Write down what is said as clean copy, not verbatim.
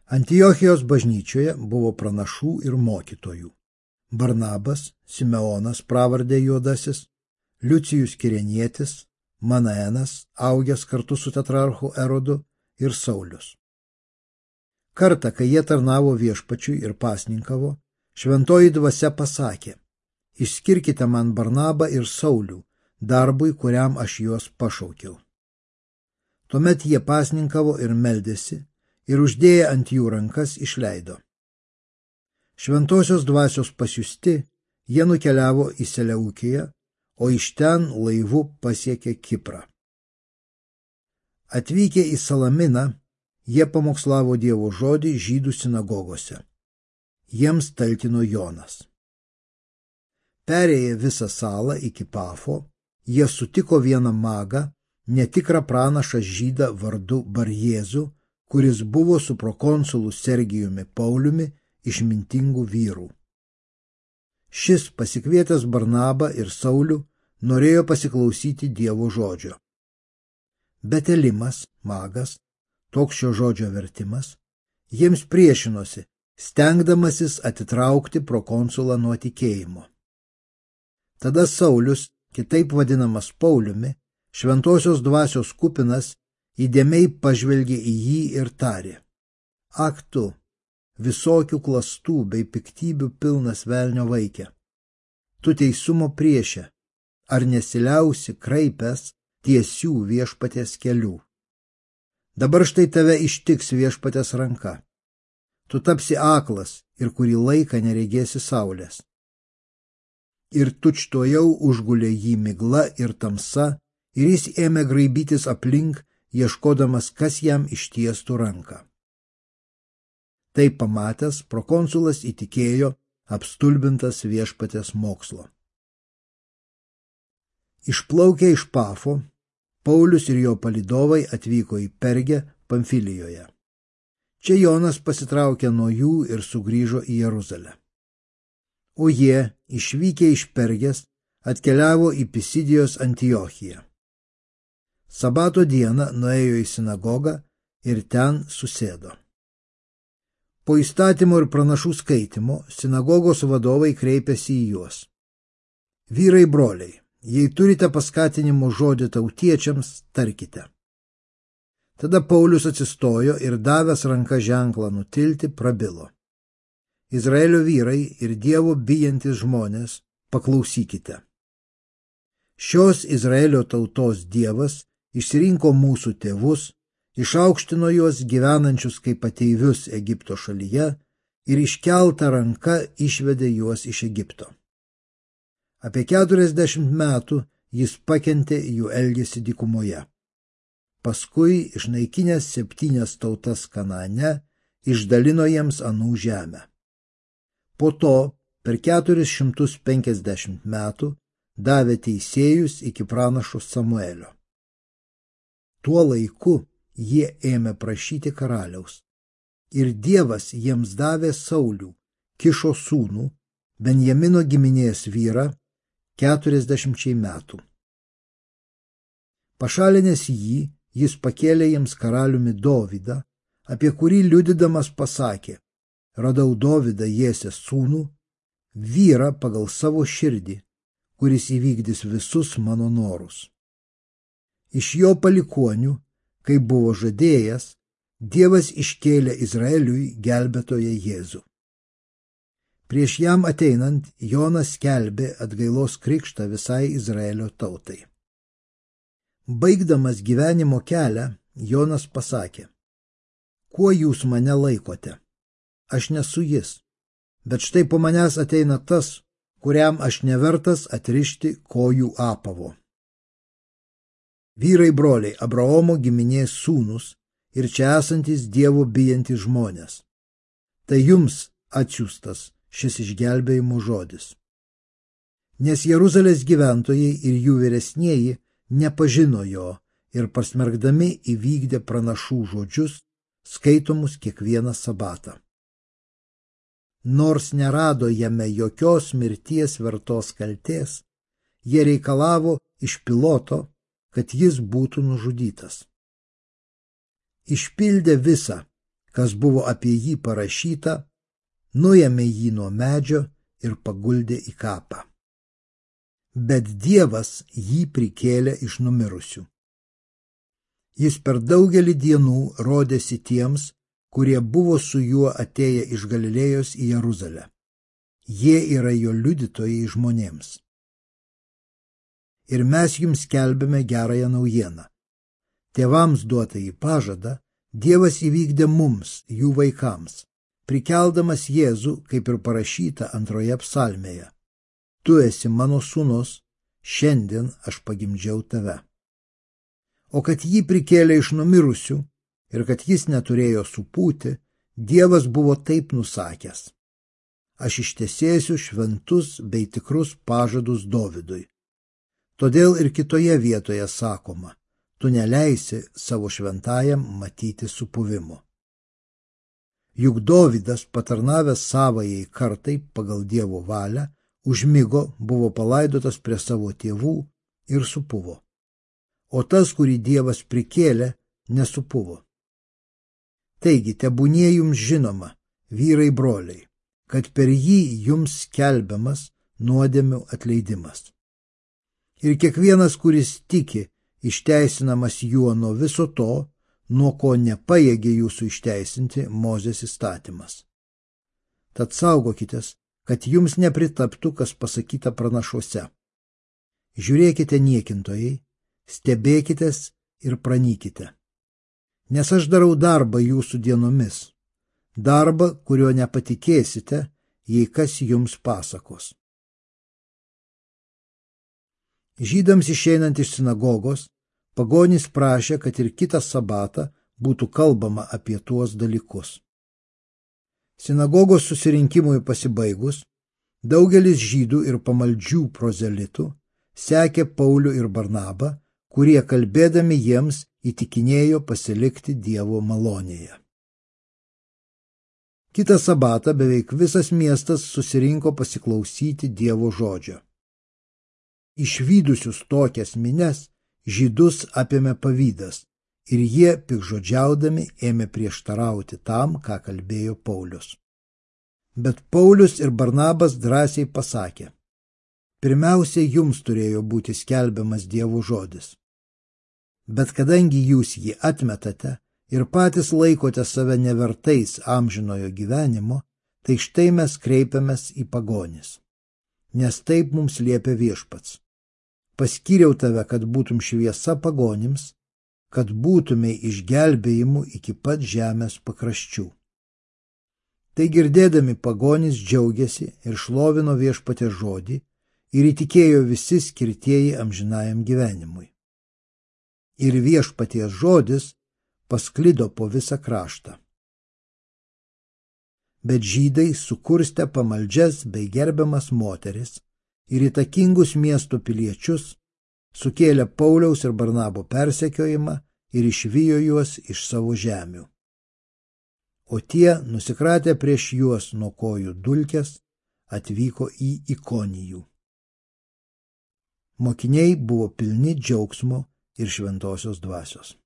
Antiochijos bažnyčioje buvo pranašų ir mokytojų. Barnabas, Simeonas pravardė Juodasis, Liucijus Kirenietis, Manaenas, augęs kartu su tetrarchu Erodu, ir Saulius. Kartą, kai jie tarnavo viešpačiui ir pasninkavo, šventoji dvasia pasakė: išskirkite man Barnabą ir Saulių darbui, kuriam aš juos pašaukiau. Tuomet jie pasninkavo ir meldėsi, ir uždėję ant jų rankas išleido. Šventosios dvasios pasiųsti, jie nukeliavo į Seleukiją, o iš ten laivu pasiekė Kiprą. Atvykę į Salaminą, jie pamokslavo Dievo žodį žydų sinagogose. Jiems talkino Jonas. Perėję visą salą iki Pafo, jie sutiko vieną magą, netikrą pranašą žydą vardu Barjėzų, kuris buvo su prokonsulu Sergijumi Pauliumi išmintingų vyrų. Šis, pasikvietęs Barnabą ir Saulių, norėjo pasiklausyti Dievo žodžio. Bet Elimas, magas, toks šio žodžio vertimas, jiems priešinosi, stengdamasis atitraukti prokonsulą nuo tikėjimo. Tada Saulius, kitaip vadinamas Pauliumi, šventosios dvasios kupinas, įdėmiai pažvelgė į jį ir tarė: ak tu, visokių klastų bei piktybių pilnas velnio vaike, tu teisumo priešė, ar nesiliausi kraipęs tiesių viešpaties kelių. Dabar štai tave ištiks viešpaties ranka. Tu tapsi aklas ir kurį laiką neregėsi saulės. Ir tučtuojau užgulė jį migla ir tamsa, ir jis ėmė graibytis aplink, ieškodamas, kas jam ištiestų ranką. Tai pamatęs, prokonsulas įtikėjo, apstulbintas viešpaties mokslo. Išplaukę iš Pafo, Paulius ir jo palydovai atvyko į Pergę Pamfilijoje. Čia Jonas pasitraukė nuo jų ir sugrįžo į Jeruzalę. O jie, išvykę iš Pergės, atkeliavo į Pisidijos Antiochiją. Sabato dieną nuėjo į sinagogą ir ten susėdo. Po įstatymo ir pranašų skaitimo sinagogos vadovai kreipėsi į juos: vyrai broliai, jei turite paskatinimo žodį tautiečiams, tarkite. Tada Paulius atsistojo ir davęs ranką ženklą nutilti, prabilo: Izraelio vyrai ir Dievo bijantis žmonės, paklausykite. Šios Izraelio tautos Dievas išsirinko mūsų tėvus, išaukštino juos gyvenančius kaip ateivius Egipto šalyje ir iškelta ranka išvedė juos iš Egipto. Apie 40 metų jis pakentė jų elgesį dykumoje. Paskui, išnaikinęs 7 tautas Kanaane, išdalino jiems anų žemę. Po to, per 450 metų, davė teisėjus iki pranašo Samuelio. Tuo laiku jie ėmė prašyti karaliaus. Ir Dievas jiems davė Saulių, Kišo sūnų, Benjamino giminės vyrą, 40 metų. Pašalinęs jį, jis pakėlė jiems karaliumi Dovydą, apie kurį liudydamas pasakė: radau Dovydą Jesės sūnų, vyrą pagal savo širdį, kuris įvykdys visus mano norus. Iš jo palikuonių, kaip buvo žadėjęs, Dievas iškėlė Izraeliui gelbėtoją Jėzų. Prieš jam ateinant, Jonas skelbė atgailos krikštą visai Izraelio tautai. Baigdamas gyvenimo kelią, Jonas pasakė: kuo jūs mane laikote? Aš nesu jis, bet štai po manęs ateina tas, kuriam aš nevertas atrišti kojų apavo. Vyrai broliai, Abraomo giminės sūnus ir čia esantis Dievo bijantys žmonės. Tai jums atsiųstas šis išgelbėjimo žodis. Nes Jeruzalės gyventojai ir jų vyresnieji nepažino jo ir pasmergdami įvykdė pranašų žodžius, skaitomus kiekvieną sabatą. Nors nerado jame jokios mirties vertos kaltės, jie reikalavo iš Piloto, kad jis būtų nužudytas. Išpildė visą, kas buvo apie jį parašyta, nuėmė jį nuo medžio ir paguldė į kapą. Bet Dievas jį prikėlė iš numirusių. Jis per daugelį dienų rodėsi tiems, kurie buvo su juo atėję iš Galilėjos į Jeruzalę. Jie yra jo liudytojai žmonėms. Ir mes jums skelbėme gerąją naujieną. Tėvams duotąjį pažadą Dievas įvykdė mums, jų vaikams, prikeldamas Jėzų, kaip ir parašyta antroje psalmėje. Tu esi mano sūnus, šiandien aš pagimdžiau tave. O kad jį prikėlė iš numirusių ir kad jis neturėjo supūti, Dievas buvo taip nusakęs. Aš ištesėsiu šventus bei tikrus pažadus Dovydui. Todėl ir kitoje vietoje sakoma, tu neleisi savo šventajam matyti supuvimo. Juk Dovydas, patarnavęs savajai kartai pagal Dievo valią, užmigo, buvo palaidotas prie savo tėvų ir supuvo. O tas, kurį Dievas prikėlė, nesupuvo. Taigi, tebūnie jums žinoma, vyrai broliai, kad per jį jums skelbiamas nuodėmių atleidimas. Ir kiekvienas, kuris tiki, išteisinamas juo nuo viso to, nuo ko nepajėgė jūsų išteisinti Mozės įstatymas. Tad saugokitės, kad jums nepritaptų, kas pasakyta pranašuose. Žiūrėkite niekintojai, stebėkitės ir pranykite. Nes aš darau darbą jūsų dienomis, darbą, kurio nepatikėsite, jei kas jums pasakos. Žydams išeinant iš sinagogos, pagonys prašė, kad ir kitą sabatą būtų kalbama apie tuos dalykus. Sinagogos susirinkimui pasibaigus, daugelis žydų ir pamaldžių prozelitų sekė Paulių ir Barnabą, kurie kalbėdami jiems įtikinėjo pasilikti Dievo malonėje. Kitą sabatą beveik visas miestas susirinko pasiklausyti Dievo žodžio. Išvydusius tokias minias, žydus apėmė pavydas ir jie, pikžodžiaudami, ėmė prieštarauti tam, ką kalbėjo Paulius. Bet Paulius ir Barnabas drąsiai pasakė, pirmiausiai jums turėjo būti skelbiamas Dievo žodis. Bet kadangi jūs jį atmetate ir patys laikote save nevertais amžinojo gyvenimo, tai štai mes kreipiamės į pagonis. Nes taip mums liepia Viešpats. Paskyriau tave, kad būtum šviesa pagonims, kad būtumei išgelbėjimu iki pat žemės pakraščių. Tai girdėdami pagonys džiaugiasi ir šlovino Viešpatės žodį ir įtikėjo visi skirtieji amžinajam gyvenimui. Ir Viešpaties žodis pasklido po visą kraštą. Bet žydai sukurstė pamaldžias bei gerbiamas moteris ir įtakingus miesto piliečius, sukėlė Pauliaus ir Barnabo persekiojimą ir išvijo juos iš savo žemių. O tie, nusikratę prieš juos nuo kojų dulkes, atvyko į Ikonijų. Mokiniai buvo pilni džiaugsmo ir šventosios dvasios.